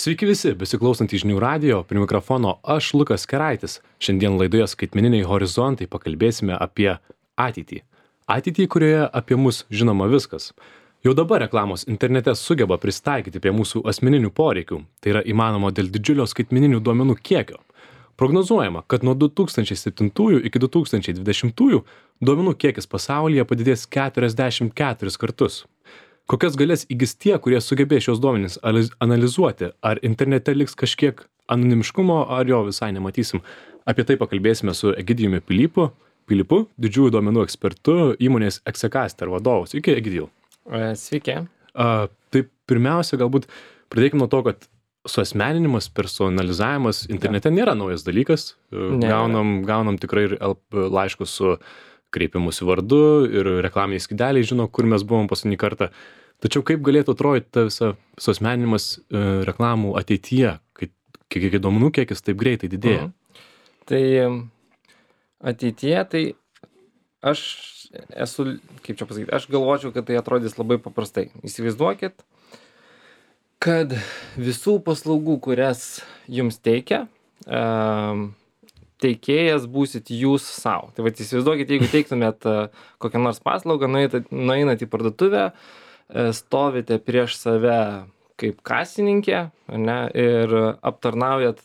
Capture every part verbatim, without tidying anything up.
Sveiki visi, besiklausantys žinių radijo, prie mikrofono aš Lukas Keraitis. Šiandien laidoje skaitmeniniai horizontai pakalbėsime apie ateitį. Ateitį, kurioje apie mus žinoma viskas. Jau dabar reklamos internete sugeba pristaikyti prie mūsų asmeninių poreikių. Tai yra įmanoma dėl didžiulio skaitmeninių duomenų kiekio. Prognozuojama, kad nuo du tūkstančiai septintųjų iki du tūkstančiai dvidešimtųjų duomenų kiekis pasaulyje padidės keturiasdešimt keturis kartus. Kokias galės įgis tie, kurie sugebės šios duomenys analizuoti? Ar internete liks kažkiek anonimiškumo, ar jo visai nematysim? Apie tai pakalbėsime su Egidijumi Pilypu, Pilypu, didžiųjų duomenų ekspertu, įmonės Execaster vadovu. Sveiki, Egidijau. Sveiki. A, tai pirmiausia, galbūt pradėkime nuo to, kad suasmeninimas, personalizavimas internete nėra naujas dalykas. Ne. Gaunam, gaunam tikrai ir laiškus su kreipimusi vardu ir reklaminiai skydeliai žino, kur mes buvom paskutinį kartą. Tačiau kaip galėtų atrodyti ta visa suasmeninimas e, reklamų ateityje, kai kiek duomenų kiekis taip greitai didėja? Mhm. Tai ateityje, tai aš esu, kaip čia pasakyti, aš galvočiau, kad tai atrodys labai paprastai. Įsivaizduokit, kad visų paslaugų, kurias jums teikia, um, teikėjas būsit jūs savo. Tai vat įsivaizduokit, jeigu teiktumėt kokią nors paslaugą, nueinat į parduotuvę, stovite prieš save kaip kasininkė, ne, ir aptarnaujat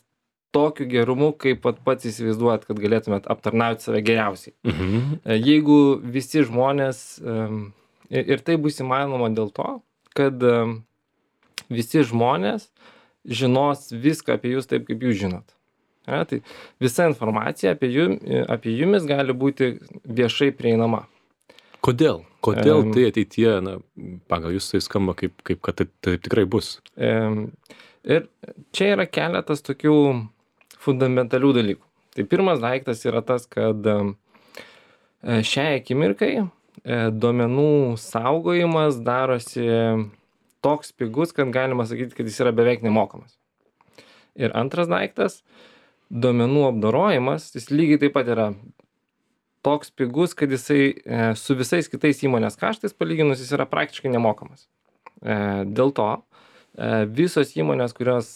tokiu gerumu, kaip pat pats įsivaizduojat, kad galėtumėt aptarnauti save geriausiai. Mhm. Jeigu visi žmonės, ir tai bus įmanoma dėl to, kad visi žmonės žinos viską apie jūs taip, kaip jūs žinot. Ja, tai visa informacija apie, jum, apie jumis gali būti viešai prieinama. Kodėl? Kodėl um, tai ateityje, na, pagal jūs tai skamba kaip, kaip kad tai, tai tikrai bus? Um, ir čia yra keletas tokių fundamentalių dalykų. Tai pirmas daiktas yra tas, kad um, šiai akimirkai duomenų saugojimas darosi toks pigus, kad galima sakyti, kad jis yra beveik nemokamas. Ir antras daiktas, duomenų apdorojimas, jis lygiai taip pat yra toks pigus, kad jisai e, su visais kitais įmonės kaštais palyginus jis yra praktiškai nemokamas. E, dėl to e, visos įmonės, kurios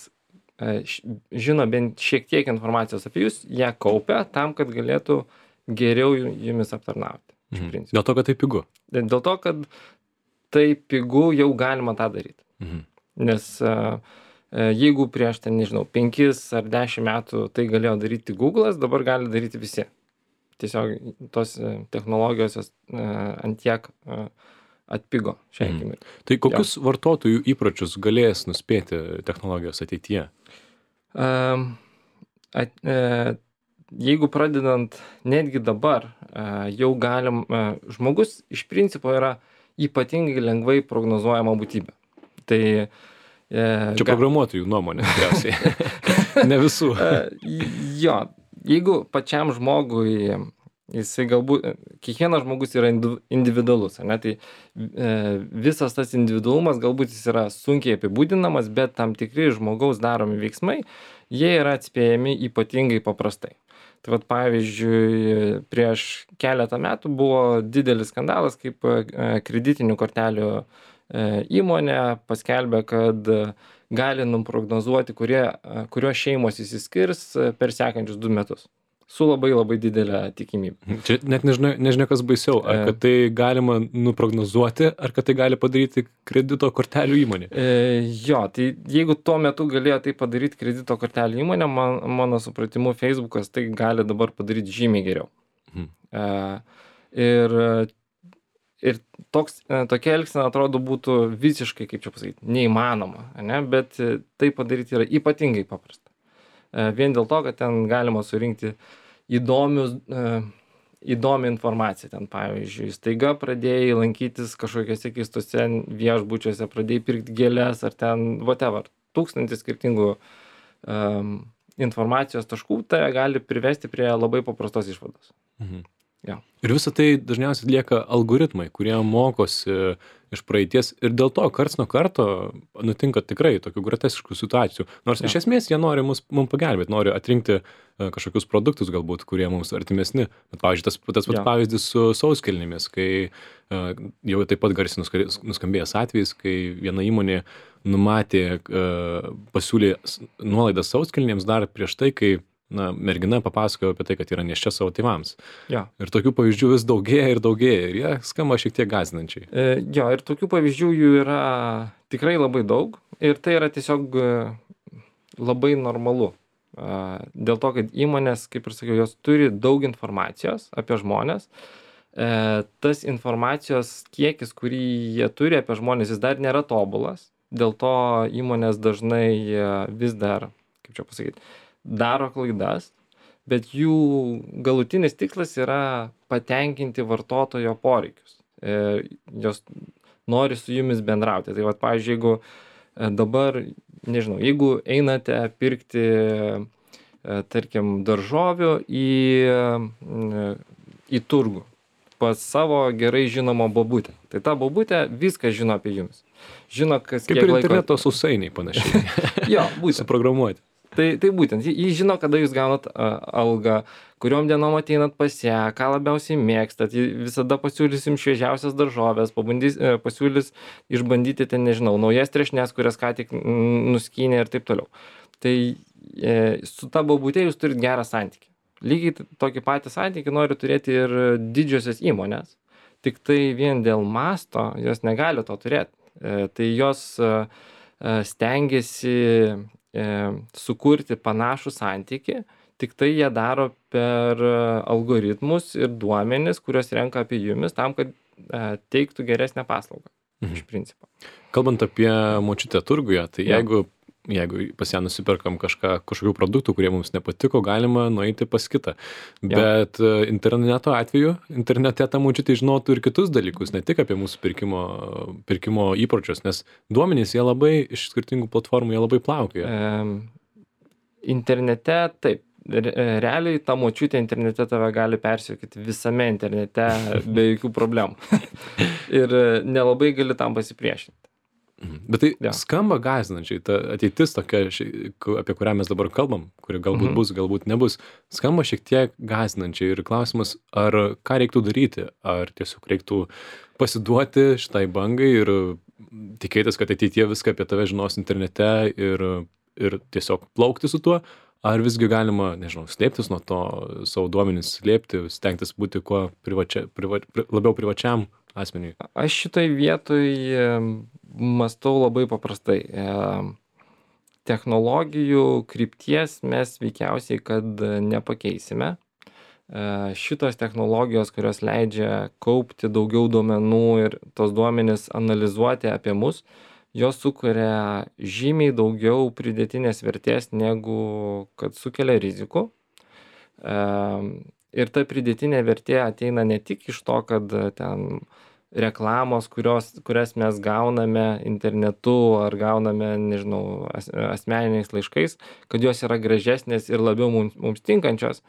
e, š, žino bent šiek tiek informacijos apie jūs, ją kaupia tam, kad galėtų geriau jumis aptarnauti. Mhm. Dėl to, kad tai pigu? Dėl to, kad tai pigu jau galima tą daryti. Mhm. Nes e, jeigu prieš ten, nežinau, penkis ar dešimt metų tai galėjo daryti Google'as, dabar gali daryti visi. Tiesiog tos technologijos ant tiek atpigo šią akimirką. Mm. Tai kokius jo. Vartotojų įpročius galės nuspėti technologijos ateityje? Um, at, uh, jeigu pradedant netgi dabar, uh, jau galim, uh, žmogus iš principo yra ypatingai lengvai prognozuojama būtybė. Tai Čia programuotojų nuomonė, tikriausiai. Ne visų. Jo, jeigu pačiam žmogui, jisai galbūt, kiekvienas žmogus yra individualus, ne, tai visas tas individualumas galbūt jis yra sunkiai apibūdinamas, bet tam tikri žmogaus daromi veiksmai, jie yra atspėjami ypatingai paprastai. Tai vat, pavyzdžiui, prieš keletą metų buvo didelis skandalas, kaip kreditinių kortelių įmonė paskelbė, kad gali nuprognozuoti, kurie, kurios šeimos įsiskirs per sekančius du metus. Su labai labai didelė tikimybė. Čia net nežinia, nežinia kas baisiau. Ar kad tai galima nuprognozuoti, ar kad tai gali padaryti kredito kortelių įmonė? E, jo, tai jeigu tuo metu galėjo tai padaryti kredito kortelių įmonė, man, mano supratimu, Facebookas tai gali dabar padaryti žymiai geriau. Hmm. E, ir Ir toks, tokia elgsena atrodo būtų visiškai, kaip čia pasakyti, neįmanoma, ne? Bet tai padaryti yra ypatingai paprasta. Vien dėl to, kad ten galima surinkti įdomius, įdomią informaciją. Ten, pavyzdžiui, staiga pradėjai lankytis kažkokiuose keistose viešbučiuose, pradėjai pirkti gėles ar ten whatever. Tūkstantis skirtingų um, informacijos taškų tai gali privesti prie labai paprastos išvados. Mhm. Jo. Ir visą tai dažniausiai atlieka algoritmai, kurie mokosi iš praeities ir dėl to karts nuo karto nutinka tikrai tokių groteskiškų situacijų. Nors Jo. iš esmės jie nori mus, mums pagelbėti, nori atrinkti e, kažkokius produktus galbūt, kurie mums artimesni. Bet, pavyzdžiui, tas, tas pats Jo. pavyzdys su sauskelnėmis, kai e, jau taip pat garsiai nuska- nuskambėjęs atvejis, kai viena įmonė numatė, e, pasiūlė s- nuolaidas sauskelnėms dar prieš tai, kai na, mergina papasakojo apie tai, kad yra nėščia savo tėvams. Jo. Ir tokių pavyzdžių vis daugėja ir daugėja ir jie skamba šiek tiek gąsdinančiai. E, jo, ir tokių pavyzdžių jų yra tikrai labai daug ir tai yra tiesiog e, labai normalu. E, dėl to, kad įmonės, kaip ir sakiau, jos turi daug informacijos apie žmonės. E, tas informacijos kiekis, kurį jie turi apie žmonės, jis dar nėra tobulas. Dėl to įmonės dažnai e, vis dar, kaip čia pasakyti, daro klaidas, bet jų galutinis tikslas yra patenkinti vartotojo poreikius. E, jos nori su jumis bendrauti. Tai vat, pavyzdžiui, jeigu e, dabar, nežinau, jeigu einate pirkti, e, tarkim, daržovių į, e, į turgų pas savo gerai žinomą bobutę. Tai ta bobutė viską žino apie jumis. Žino, kas Kaip kiek ir laiko- interneto sausainiai panašiai. Jo, būtent. Suprogramuoti. Tai, tai būtent, ji- ji žino, kada jūs gaunat a, algą, kuriom dienom ateinat pas ją, ką labiausiai mėgstat, ji visada pasiūlys jums šviežiausias daržovės, pabandys, e, pasiūlys išbandyti ten, nežinau, naujas trešnes, kurias ką tik mm, nuskynė ir taip toliau. Tai e, su ta bobutė jūs turit gerą santykį. Lygiai t- tokį patį santykį nori turėti ir didžiosios įmonės, tik tai vien dėl masto jos negali to turėti. E, tai jos e, e, stengiasi e, sukurti panašų santykį, tik tai jie daro per e, algoritmus ir duomenis, kuriuos renka apie jumis, tam, kad e, teiktų geresnę paslaugą. Mhm. Iš principo. Kalbant apie močiutę turguje, tai Jo. jeigu, jeigu pas ją nusiperkam kažką, kažkokių produktų, kurie mums nepatiko, galima nueiti pas kitą. Jo. Bet e, interneto atveju, internete ta močiutė žinotų ir kitus dalykus, ne tik apie mūsų pirkimo, pirkimo įpročius, nes duomenys jie labai iš skirtingų platformų, jie labai plaukioja. E, internete taip. Re- Realiai ta močiutė internete tave gali persiekyti visame internete be jokių problemų. Ir e, nelabai gali tam pasipriešinti. Mhm. Bet tai Jo. skamba gąsdinančiai, ta ateitis tokia, ši- ku- apie kurią mes dabar kalbam, kuri galbūt Mhm. bus, galbūt nebus, skamba šiek tiek gąsdinančiai ir klausimas, ar ką reiktų daryti, ar tiesiog reiktų pasiduoti šitai bangai ir tikėtis, kad ateitie viską apie tave žinos internete ir, ir tiesiog plaukti su tuo, ar visgi galima, nežinau, slėptis nuo to, savo duomenis slėpti, stengtis būti kuo privačia, priva, pri, labiau privačiam asmeniui. Aš šitoj vietoj em, mąstau labai paprastai. Em, Technologijų krypties mes veikiausiai, kad nepakeisime. E, Šitos technologijos, kurios leidžia kaupti daugiau duomenų ir tos duomenis analizuoti apie mus, jos sukuria žymiai daugiau pridėtinės vertės, negu kad sukelia rizikų. Em, Ir ta pridėtinė vertė ateina ne tik iš to, kad e, ten reklamos, kurios, kurias mes gauname internetu ar gauname, nežinau, as, asmeniniais laiškais, kad jos yra gražesnės ir labiau mums, mums tinkančios,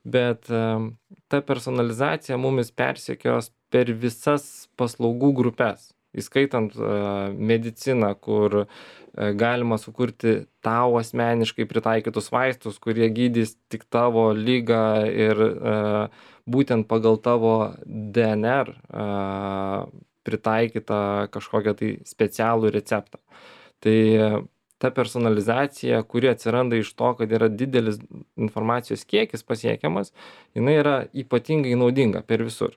bet em, ta personalizacija mumis persekios per visas paslaugų grupės, įskaitant e, mediciną, kur e, galima sukurti tau asmeniškai pritaikytus vaistus, kurie gydys tik tavo ligą ir e, būtent pagal tavo D N R e, pritaikytą kažkokią tai specialų receptą. Tai e, ta personalizacija, kuri atsiranda iš to, kad yra didelis informacijos kiekis pasiekiamas, jinai yra ypatingai naudinga per visur.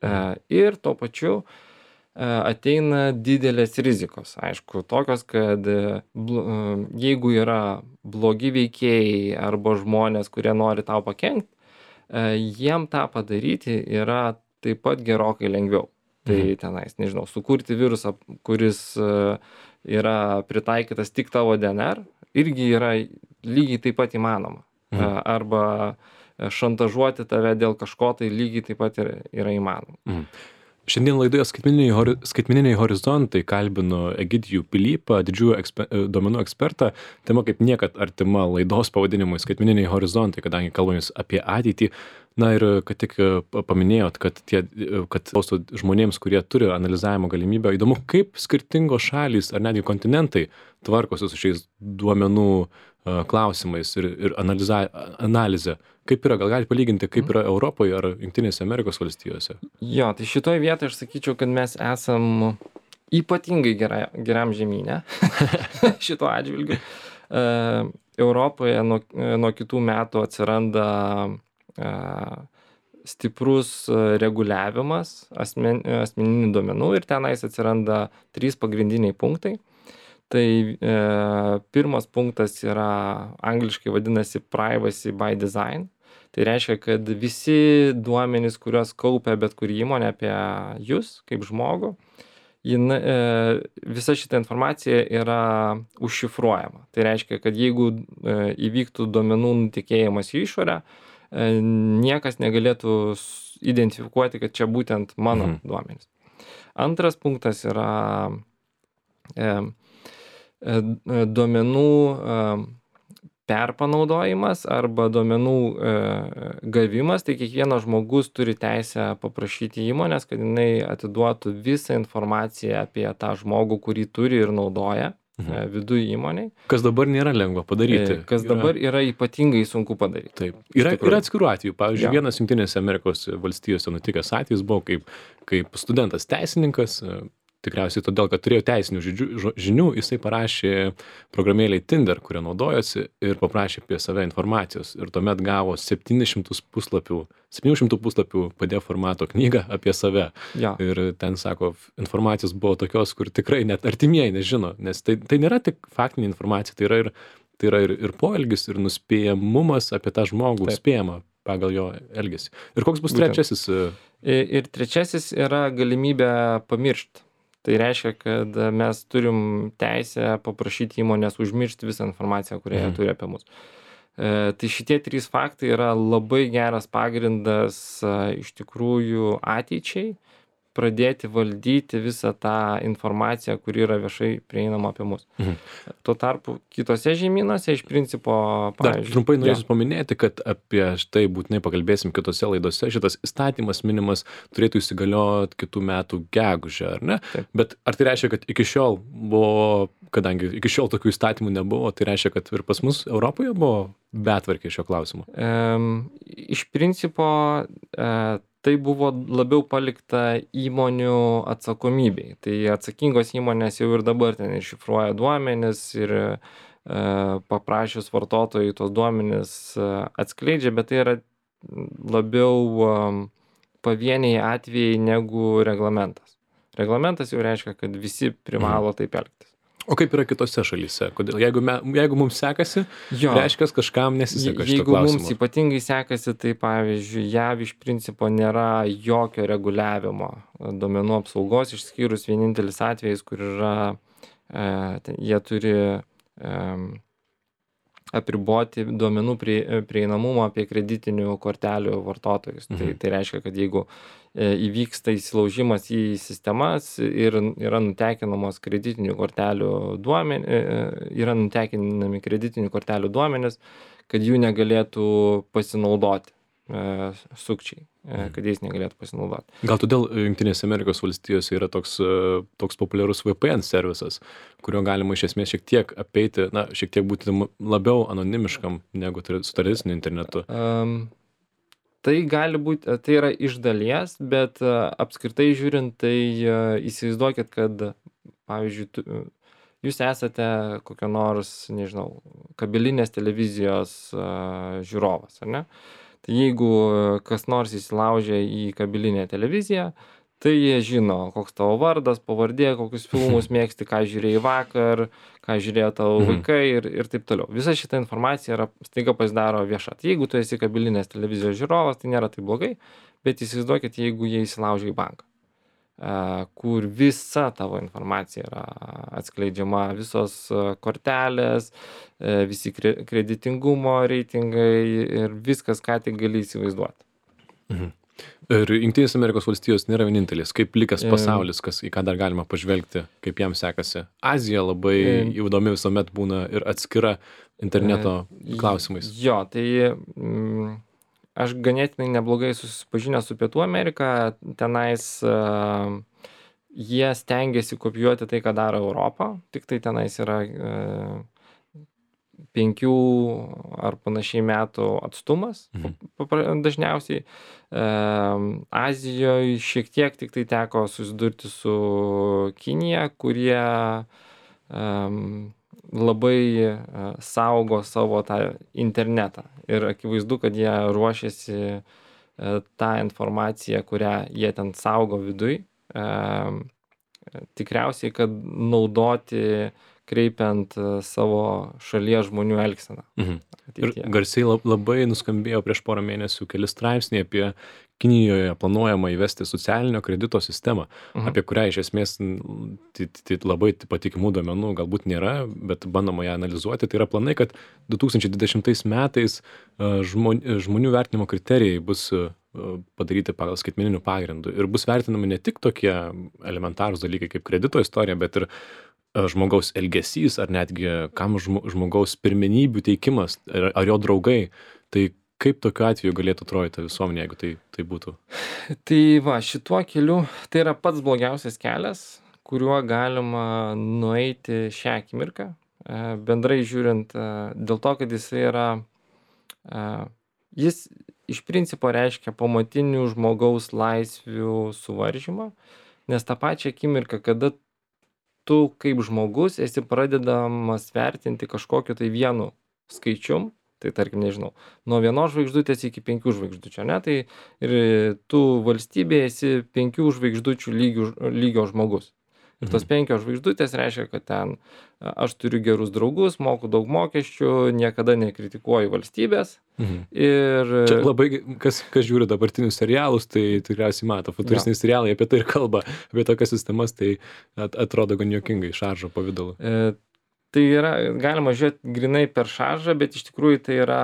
E, ir tuo pačiu e, ateina didelės rizikos. Aišku, tokios, kad e, bl- e, jeigu yra blogi veikėjai arba žmonės, kurie nori tau pakenkti, e, jiem tą padaryti yra taip pat gerokai lengviau. Tai Mhm. tenais, nežinau, sukurti virusą, kuris e, yra pritaikytas tik tavo D N R, irgi yra lygiai taip pat įmanoma. E, Mhm. Arba e, šantažuoti tave dėl kažko, tai lygiai taip pat yra, yra įmanoma. Mhm. Šiandien laidoje skaitmeniniai, hori, skaitmeniniai horizontai kalbinu Egidijų Pilypą, didžiųjų eksper, duomenų ekspertą. Tema kaip niekad artima laidos pavadinimui skaitmeniniai horizontai, kadangi kalbamės apie ateitį. Na ir kad tik paminėjot, kad, tie, kad žmonėms, kurie turi analizavimo galimybę, įdomu, kaip skirtingos šalys ar netgi kontinentai tvarkosi su šiais duomenų klausimais ir, ir analiza, analizė. Kaip yra, gal galite palyginti, kaip yra Europoje ar Jungtinėse Amerikos valstijose? Jo, tai šitoje vietoje aš sakyčiau, kad mes esam ypatingai gerai, geram žemynė šito atžvilgiu. Uh, Europoje nuo, nuo kitų metų atsiranda uh, stiprus reguliavimas asmen, asmeninių duomenų ir tenais atsiranda trys pagrindiniai punktai. Tai e, pirmas punktas yra angliškai vadinasi privacy by design. Tai reiškia, kad visi duomenys, kuriuos kaupia bet kuri įmonė apie jūs kaip žmogų, jin, e, visa šita informacija yra užšifruojama. Tai reiškia, kad jeigu e, įvyktų duomenų nutekėjimas į išorę, e, niekas negalėtų identifikuoti, kad čia būtent mano mhm. duomenys. Antras punktas yra e, duomenų perpanaudojimas arba duomenų gavimas, tai kiekvienas žmogus turi teisę paprašyti įmonės, kad jinai atiduotų visą informaciją apie tą žmogų, kurį turi ir naudoja mhm. viduje įmoniai. Kas dabar nėra lengva padaryti. Kas yra... dabar yra ypatingai sunku padaryti. Taip. Yra, yra atskirų atvejų. Pavyzdžiui, ja. vienas Jungtinėse Amerikos valstijose nutikęs atvejis buvo kaip, kaip studentas teisininkas, tikriausiai todėl, kad turėjo teisinių žinių, jisai parašė programėlėj Tinder, kurią naudojosi ir paprašė apie save informacijos. Ir tuomet gavo septynis šimtus puslapių, septynių šimtų puslapių P D F formato knygą apie save. Ja. Ir ten, sako, informacijos buvo tokios, kur tikrai net artimieji nežino, nes tai, tai nėra tik faktinė informacija, tai yra ir, tai yra ir, ir poelgis, ir nuspėjamumas apie tą žmogų, Taip. spėjama pagal jo elgesį. Ir koks bus Būtent. trečiasis? Ir, ir trečiasis yra galimybė pamiršti. Tai reiškia, kad mes turim teisę paprašyti įmonės užmiršti visą informaciją, kurią jie mm. turi apie mus. E, tai šitie trys faktai yra labai geras pagrindas a, iš tikrųjų ateičiai pradėti valdyti visą tą informaciją, kuri yra viešai prieinama apie mus. Mhm. Tuo tarpu kitose žemynuose iš principo... Dar trumpai norėsiu ja. paminėti, kad apie štai būtinai pakalbėsim kitose laidose. Šitas įstatymas minimas turėtų įsigalioti kitų metų gegužę, ar ne? Taip. Bet ar tai reiškia, kad iki šiol buvo, kadangi iki šiol tokių įstatymų nebuvo, tai reiškia, kad ir pas mus Europoje buvo betvarkė šio klausimu? Um, iš principo... Uh, Tai buvo labiau palikta įmonių atsakomybei. Tai atsakingos įmonės jau ir dabar ten iššifruoja duomenis ir e, paprašius vartotojai tos duomenis atskleidžia, bet tai yra labiau e, pavieniai atvejai negu reglamentas. Reglamentas jau reiškia, kad visi privalo taip elgtis. O kaip yra kitose šalyse? Kodėl? Jeigu, me, jeigu mums sekasi, jo. reiškia, kažkam nesiseka šito Jeigu klausimu. mums ypatingai sekasi, tai pavyzdžiui, J A V iš principo nėra jokio reguliavimo duomenų apsaugos, išskyrus vienintelis atvejis, kur yra, e, jie turi e, apriboti duomenų prie, prieinamumą apie kreditinių kortelių vartotojus. Mhm. Tai, tai reiškia, kad jeigu įvyksta įsilaužimas į sistemas ir yra nutekinamos kreditinių kortelių duomenys, yra nutekinami kreditinių kortelių duomenys, kad jų negalėtų pasinaudoti e, sukčiai, e, kad jais negalėtų pasinaudoti. Gal todėl Jungtinėse Amerikos valstijose yra toks, toks populiarus V P N servisas, kurio galima iš esmės šiek tiek apeiti, na, šiek tiek būti labiau anonimiškam negu su tradiciniu internetu. Um, Tai gali būti, tai yra iš dalies, bet apskritai žiūrint, tai įsivaizduokit, kad, pavyzdžiui, tu, jūs esate kokio nors, nežinau, kabelinės televizijos uh, žiūrovas, ar ne? Tai jeigu kas nors įsilaužia į kabelinę televiziją, tai jie žino, koks tavo vardas, pavardė, kokius filmus mėgsti, ką žiūrėjai vakar, ką žiūrėjo tavo vaikai ir, ir taip toliau. Visa šita informacija yra staiga pasidaro vieša. Tai jeigu tu esi kabelinės televizijos žiūrovas, tai nėra taip blogai, bet įsivaizduokit, jeigu jie įsilaužia į banką, kur visa tavo informacija yra atskleidžiama, visos kortelės, visi kreditingumo reitingai ir viskas, ką tik gali įsivaizduoti. Mhm. Ir Jungtinės Amerikos valstijos nėra vienintelis, kaip likęs Em. pasaulis, kas, į ką dar galima pažvelgti, kaip jam sekasi. Azija labai Em. įdomi visuomet būna ir atskira interneto E, klausimais. Jo, tai mm, aš ganėtinai neblogai susipažinęs su Pietų Amerika, tenais uh, jie stengiasi kopijuoti tai, ką daro Europą, tik tai tenais yra uh, penkių ar panašiai metų atstumas Mhm. papra- dažniausiai. Um, Azijoje šiek tiek tik tai teko susidurti su Kinija, kurie um, labai uh, saugo savo tą internetą. Ir akivaizdu, kad jie ruošiasi uh, tą informaciją, kurią jie ten saugo viduj, um, tikriausiai, kad naudoti kreipiant uh, savo šalies žmonių elgseną. Mhm. Ir ateityje. garsiai lab- labai nuskambėjo prieš porą mėnesių keli straipsniai apie Kinijoje planuojama įvesti socialinio kredito sistemą, Mhm. apie kurią iš esmės n- tai- tai labai patikimų duomenų galbūt nėra, bet bandoma ją analizuoti. Tai yra planai, kad du tūkstančiai dvidešimtais metais a, žmon- žmonių vertinimo kriterijai bus a, padaryti pagal skaitmeninių pagrindų ir bus vertinami ne tik tokie elementarūs dalykai kaip kredito istorija, bet ir a, žmogaus elgesys ar netgi kam žmo- žmogaus pirmenybių teikimas ar, ar jo draugai. Tai kaip tokiu atveju galėtų atrodyti ta visuomenė, jeigu tai, tai būtų? Tai va, šituo keliu tai yra pats blogiausias kelias, kuriuo galima nueiti šią akimirką. E, Bendrai žiūrint, e, dėl to, kad jis yra, e, jis iš principo reiškia pamatinių žmogaus laisvių suvaržymą, nes tą pačią akimirką, kada tu kaip žmogus esi pradedamas vertinti kažkokiu tai vienu skaičium, tai tarkim, nežinau, nuo vienos žvaigždutės iki penkių žvaigždučių, ne, tai ir tu valstybėje esi penkių žvaigždučių lygių, lygio žmogus. Ir tos penkios žvaigždutės reiškia, kad ten a, aš turiu gerus draugus, moku daug mokesčių, niekada nekritikuoju valstybės. Mhm. Ir Čia labai, ge- kas, kas žiūri dabartinius serialus, tai tikriausiai mato, futuristiniai serialai apie tai ir kalba, apie tokias sistemas, tai at, atrodo gan juokingai, šaržo pavydalu. E, tai yra, galima žiūrėti grinai per šaržą, bet iš tikrųjų tai yra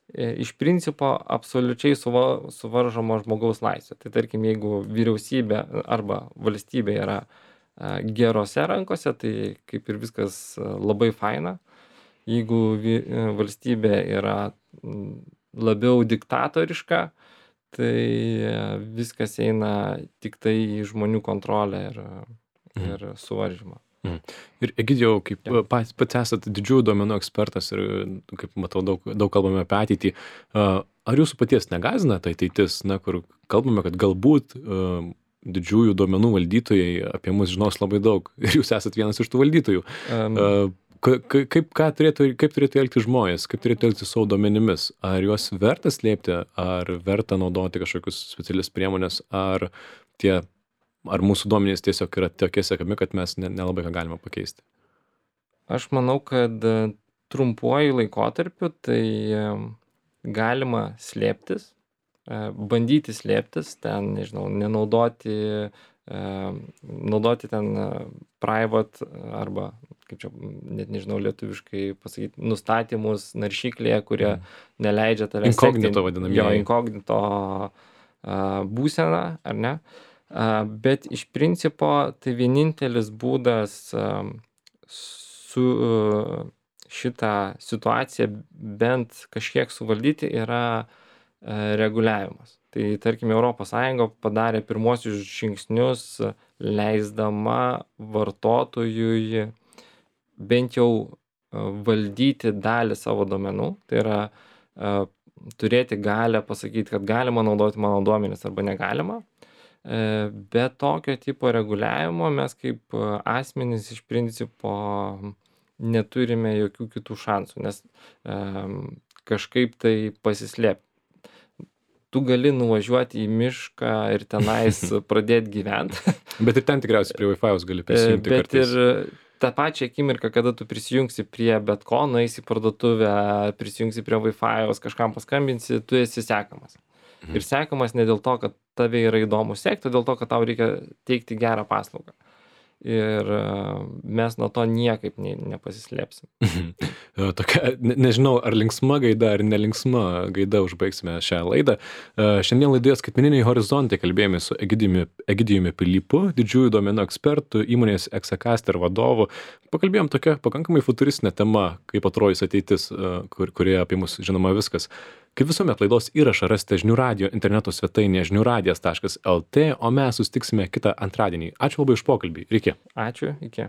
e, iš principo absoliučiai suva, suvaržoma žmogaus laisvė. Tai tarkim, jeigu vyriausybė arba valstybė yra a, gerose rankose, tai kaip ir viskas a, labai faina. Jeigu vi, e, valstybė yra m, labiau diktatoriška, tai e, viskas eina tik tai į žmonių kontrolę ir, Mhm. ir suvaržymą. Ir Egidijau, kaip Jo. pats, pats esate didžiųjų duomenų ekspertas ir, kaip matau, daug, daug kalbame apie ateitį. a, Ar jūsų paties negazina ta ateitis, na, kur kalbame, kad galbūt a, didžiųjų duomenų valdytojai apie mus žinos labai daug ir jūs esate vienas iš tų valdytojų. Um, A, ka- ka- Kaip, ką turėtų, kaip turėtų elgtis žmonės, kaip turėtų elgtis savo duomenimis? Ar juos verta slėpti, ar verta naudoti kažkokius specialias priemonės, ar tie ar mūsų duomenys tiesiog yra tokie sekami, kad mes ne, nelabai ką galime pakeisti? Aš manau, kad e, trumpuoju laikotarpiu tai e, galima slėptis, e, bandyti slėptis, ten, nežinau, nenaudoti, e, naudoti ten e, private arba, kaip čia, net nežinau lietuviškai pasakyti, nustatymus naršyklėje, kurie neleidžia tave Inkognito sekti- vadinamieji. Jo, inkognito a, būseną, ar ne? A, Bet iš principo tai vienintelis būdas a, su a, šitą situaciją bent kažkiek suvaldyti yra a, reguliavimas. Tai tarkim, Europos Sąjunga padarė pirmosius žingsnius a, leisdama vartotojui bent jau a, valdyti dalį savo duomenų. Tai yra a, turėti galę pasakyti, kad galima naudoti mano duomenis arba negalima. E, Be tokio tipo reguliavimo mes kaip a, asmenys iš principo neturime jokių kitų šansų, nes em, kažkaip tai pasislėpti. Tu gali nuvažiuoti į mišką ir tenais pradėti gyventi, Bet ir ten tikriausiai prie Wi-Fi'aus gali prisijungti bet kartais. ir tą pačią akimirką, kada tu prisijungsi prie bet ko, nueisi į parduotuvę, prisijungsi prie Wi-Fi'aus, kažkam paskambinsi, tu esi sekamas. Ir sekamas ne dėl to, kad tave yra įdomu sekti, o dėl to, kad tau reikia teikti gerą paslaugą. ir mes nuo to niekaip ne, nepasislėpsim. Tokia, ne, nežinau, ar linksma gaida, ar nelinksma gaida užbaigsime šią laidą. Šiandien laidoje Skaitmeniniai horizontai kalbėjome su Egidijumi, Egidijumi Pilypu, didžiųjų duomenų ekspertų, įmonės Exacaster vadovu. Pakalbėjom tokia pakankamai futuristinė tema, kaip atrodys ateitis, kur, kurioje apie mus žinoma viskas. Kaip visuomet laidos įrašą rasite žinių radijo interneto svetainėje žinių radijas taškas el tė, o mes susitiksime kitą antradienį. Ačiū labai už pokalbį. Iki. Ačiū, iki.